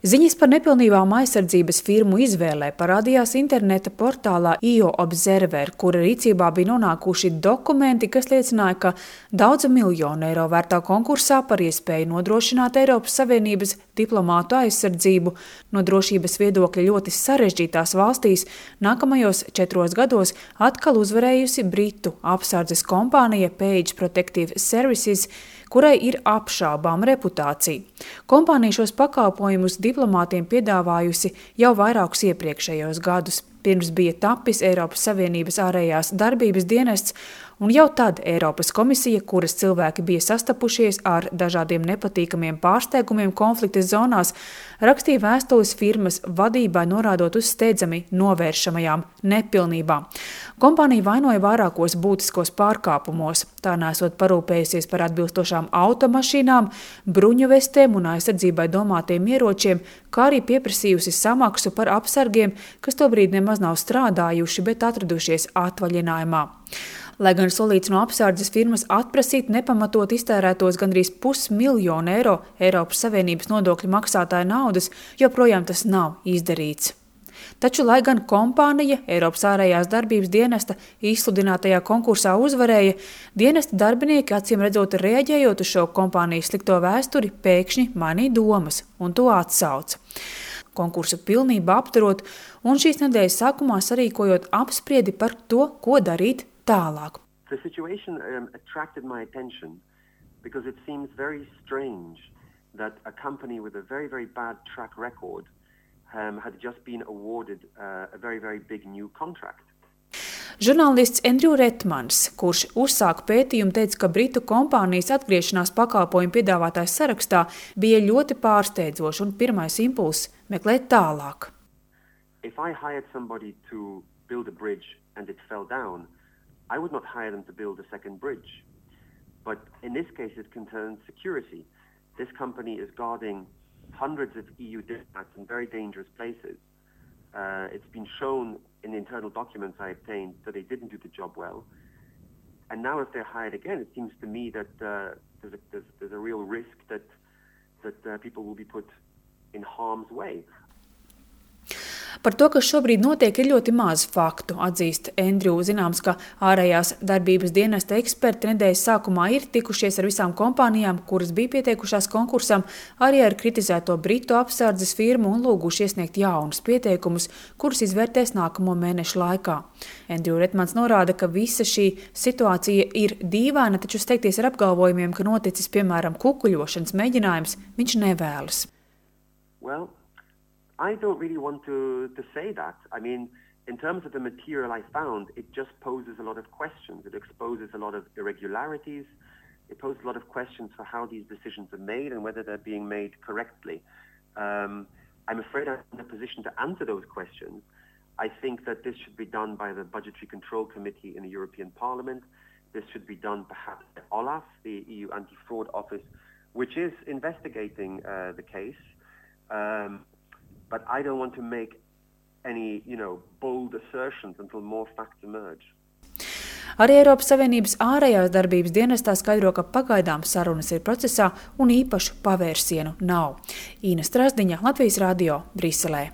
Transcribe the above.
Ziņas par nepilnībām aizsardzības firmu izvēlē parādījās interneta portālā EU Observer, kura rīcībā bija nonākuši dokumenti, kas liecināja, ka daudzu miljonu eiro vērtā konkursā par iespēju nodrošināt Eiropas Savienības diplomātu aizsardzību no drošības viedokļa ļoti sarežģītās valstīs nākamajos 4 gados atkal uzvarējusi Britu apsardzes kompānija Page Protective Services, kurai ir apšaubām reputācija. Kompānija šos pakalpojumus diplomātiem piedāvājusi jau vairākus iepriekšējos gadus. Pirms bija tapis Eiropas Savienības ārējās darbības dienests, un jau tad Eiropas komisija, kuras cilvēki bija sastapušies ar dažādiem nepatīkamiem pārsteigumiem konflikta zonās, rakstīja vēstules firmas vadībai norādot uz steidzami novēršamajām nepilnībām. Kompānija vainoja vairākos būtiskos pārkāpumos, tā nesot parūpējusies par atbilstošām automašīnām, bruņuvestēm un aizsardzībai domātiem ieročiem, kā arī pieprasījusi samaksu par apsargiem, kas tobrīd nemaz nav strādājuši, bet atradušies atvaļinājumā. Lai gan solīts no apsardzes firmas atprasīt nepamatot iztērētos gandrīz 500 000 eiro Eiropas Savienības nodokļu maksātāju naudas, joprojām tas nav izdarīts. Taču, lai gan kompānija Eiropas ārējās darbības dienesta izsludinātajā konkursā uzvarēja, dienesta darbinieki acīm redzot reaģējot uz šo kompānijas slikto vēsturi, pēkšņi mainīja domas un to atsauca. Konkursu pilnībā apturot un šīs nedēļas sākumā sarīkojot apspriedi par to, ko darīt tālāk. The situation attracted my attention because it seems very strange that a company with a very, very bad track record had just been awarded a very, very big new contract. Žurnālists Andrew Retmans, kurš uzsāka pētījumu, teica, ka Britu kompānijas atgriešanās pakalpojumu piedāvātājs sarakstā bija ļoti pārsteidzoši un pirmais impulss meklēt tālāk. If I hired somebody to build a bridge and it fell down, I would not hire them to build a second bridge. But in this case, it concerns security. This company is guarding hundreds of EU diplomats in very dangerous places. It's been shown in the internal documents I obtained that they didn't do the job well. And now if they're hired again, it seems to me that there's a real risk that people will be put in harm's way. Par to, kas šobrīd notiek, ir ļoti maz faktu, atzīst Andrew. Zināms, ka ārējās darbības dienesta eksperti nedēļas sākumā ir tikušies ar visām kompānijām, kuras bija pieteikušās konkursam, arī ar kritizēto Britu apsardzes firmu un lūguši iesniegt jaunus pieteikumus, kurus izvērtēs nākamo mēnešu laikā. Andrew Retmans norāda, ka visa šī situācija ir dīvaina, taču steigties ar apgalvojumiem, ka noticis, piemēram, kukuļošanas mēģinājums, viņš nevēlas. Well, I don't really want to say that. I mean, in terms of the material I found, it just poses a lot of questions. It exposes a lot of irregularities. It poses a lot of questions for how these decisions are made and whether they're being made correctly. I'm afraid I'm in a position to answer those questions. I think that this should be done by the Budgetary Control Committee in the European Parliament. This should be done perhaps by OLAF, the EU Anti-Fraud Office, which is investigating the case. But I don't want to make any, bold assertions until more facts emerge. Arī Eiropas Savienības ārējās darbības dienestā skaidro, ka pagaidām sarunas ir procesā un īpašu pavērsienu nav. Īna Strasdiņa, Latvijas radio, Briselē.